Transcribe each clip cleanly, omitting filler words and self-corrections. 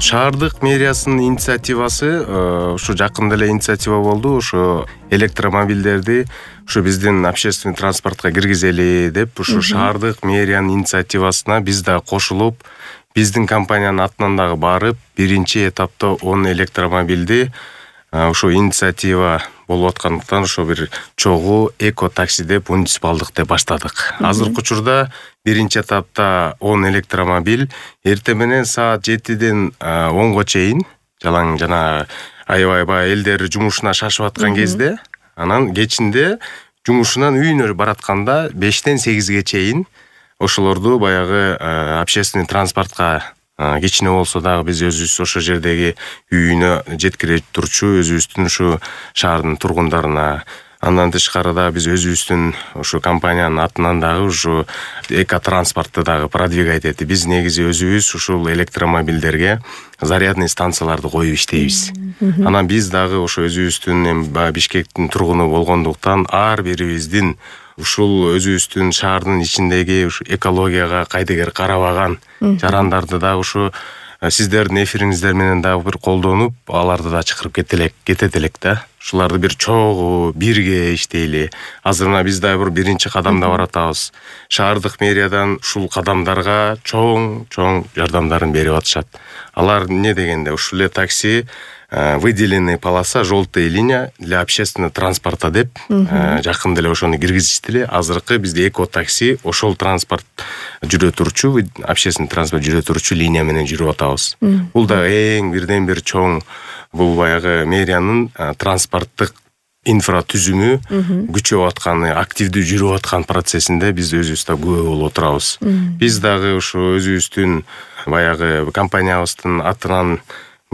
Шаардык мэриясынын инициативасы ушу жакында эле инициатива болду. Ушу электромобилдерди ушу биздин общественный транспортко киргизели деп ушу шаардык мэриянын инициативасына биз да кошулуп, биздин компаниянын атынан дагы барып, биринчи этапта 10 электромобилди ушу инициатива болуп аткандыктан ошо бир чогуу эко-такси деп муниципалдык деп баштадык. Азыркы учурда биринчи этапта 10 электромобиль эртең менен саат 7ден 10го чейин жалаң жана аябай элдер жумушуна шашып аткан кезде, анан кечинде жумушунан үйүнө баратканда 5ден 8ге чейин ошолорду баягы общественный транспортко кичине болсо дагы биз өзүбүз ошол жердеги үйүнө жеткире турчу өзүбүздүн ушу шаардын тургундарына, андан тышкары дагы биз өзүбүздүн ушу компаниянын атынан дагы ушу эко-транспортты дагы продвигать этип, биз негизи өзүбүз ушул электромобилдерге зарядный станцияларды коюп иштейбиз. Анан биз дагы ошо өзүбүздүн Бишкектин тургуну болгондуктан ар бирибиздин ушул өзүбүздүн шаардын ичиндеги ушу экологияга кайдыгер карабаган жарандарды да ушу сиздердин эфириңиздер менен дагы бир колдонуп, аларды да чакырып кетет элек да. Ушуларды бир чогуу бирге иштейли. Азыр мына биз дагы бир биринчи кадамда баратабыз. Шаардык мэриядан ушул кадамдарга чоң жардамдарын берип атышат. Алар эмне дегенде, ушул эле такси выделенный полоса, желтая линия для общественного транспорта деп жакында эле ошону киргизиштиле. Азыркы бизде эко-такси ошол транспорт жүрө турчу, общественный транспорт жүрө турчу линия менен жүрүп атабыз. Бул да эң бирден бир чоң, бул баягы мэриянын транспорттук инфратүзүмү күчөп атканы, активдүү жүрүп аткан процессинде биз өзүбүз да күбө болуп отурабыз. Биз дагы ушу өзүбүздүн баягы компаниябыздын атынан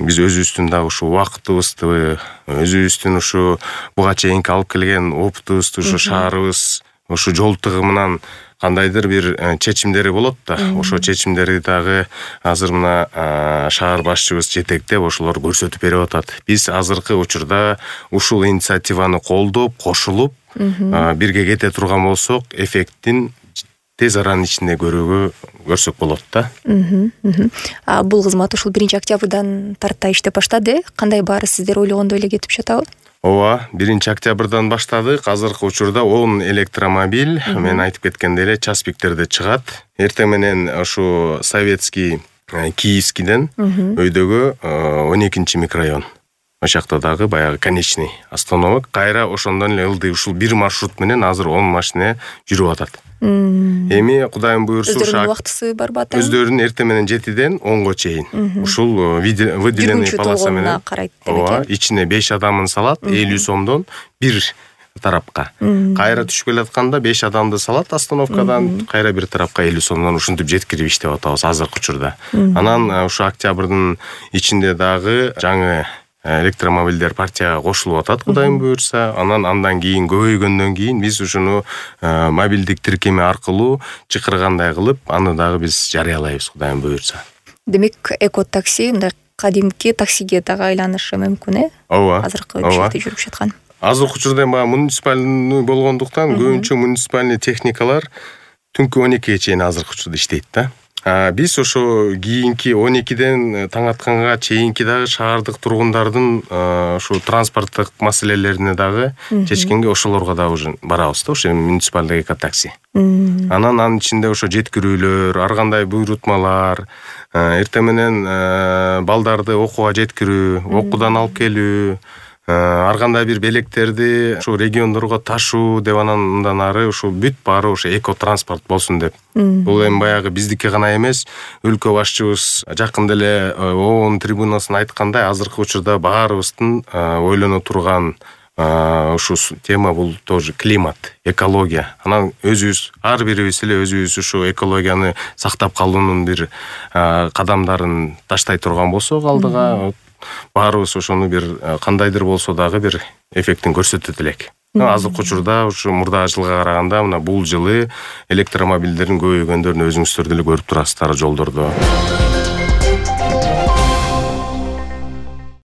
биз өзүбүздүн дагы ушу убактыбызды, өзүбүздүн ушу буга чейинки алып келген опытыбызды, ушу шаарыбыз ушу жол тыгымынан кандайдыр бир чечимдери болот да, ошо чечимдерди дагы азыр мына шаар башчыбыз жетектеп ошолор көрсөтүп берип атат. Биз азыркы учурда ушул инициативаны колдоп, кошулуп, бирге кете турган болсок, эффектин тез аранын ичинде көрсөк болот да. Бул кызмат ушул 1-октябрдан тарта иштеп баштады. Кандай баары сиздер ойлогондой эле кетип жатабы? Ооба, 1-октябрдан баштадык. Азыркы учурда 10 электромобиль, мен айтып кеткендей эле, час пиктерде чыгат. Эртең менен ушу Советский Киевскийден өйдөгө 12-чи микрорайон. Ошакта дагы баягы конечный остановок. Кайра ошондон эле ылдый ушул бир маршрут менен азыр 10 машина жүрүп атат. Эми Кудайым буйрса өздөрүнүн убактысы барбы ата? Өздөрүнүн эртең менен 7ден 10го чейин. Ушул выделенный полоса менен карайт деп. Ичине 5 адамын салат, 50 сомдон бир тарапка. Кайра түшүп келатканда 5 адамды салат остановкадан, кайра бир тарапка 50 сомдон ушинтип жеткирип иштеп атабыз азыркы учурда. Анан ушу октябрдын ичинде дагы жаңы электромобилдер партияга кошулуп атат, Кудайым буйрса. Андан кийин көбөйгөндөн кийин биз ушуну мобилдик тиркеме аркылуу чакыргандай кылып, аны дагы биз жарыялайбыз, Кудайым буйрса. Демек, эко-такси мындай кадимки таксиге дагы айланышы мүмкүн, Ооба. Азыркы жерде жүрүп жаткан. Азыркы учурда муниципальный болгондуктан көбүнчө муниципальный техникалар түнкү 12ге чейин азыркы учурда иштейт да. Биз ошо кийинки 12ден таң атканга чейинки дагы шаардык тургундардын ушу транспорттук маселелерине дагы чечкенге ошолорго дагы уже барабыз да, ошо муниципальный эко-такси. Анын ичинде ошо жеткирүүлөр, ар кандай буйрутмалар, эртең менен балдарды окууга жеткирүү, окуудан алып келүү, ар кандай бир белектерди ушу региондорго ташуу деп, андан ары ушул бүт баары ошо эко-транспорт болсун деп. Бул эми баягы биздики гана эмес, өлкө башчыбыз жакында эле ООН трибунасына айткандай, азыркы учурда баарыбыздын ойлоно турган ушу тема бул тоже климат, экология. Анан өзүбүз, ар бирибиз эле өзүбүз ушу экологияны сактап калуунун бир кадамдарын таштай турган болсок алдыга, баарыбыз ошону бир кандайдыр болсо дагы бир эффектин көрсөтөт элек. Азыркы учурда ушу мурда жылга караганда мына бул жылы электромобилдердин көбөйгөндөрүн өзүңүздөр деле көрүп турасыздар жолдордо.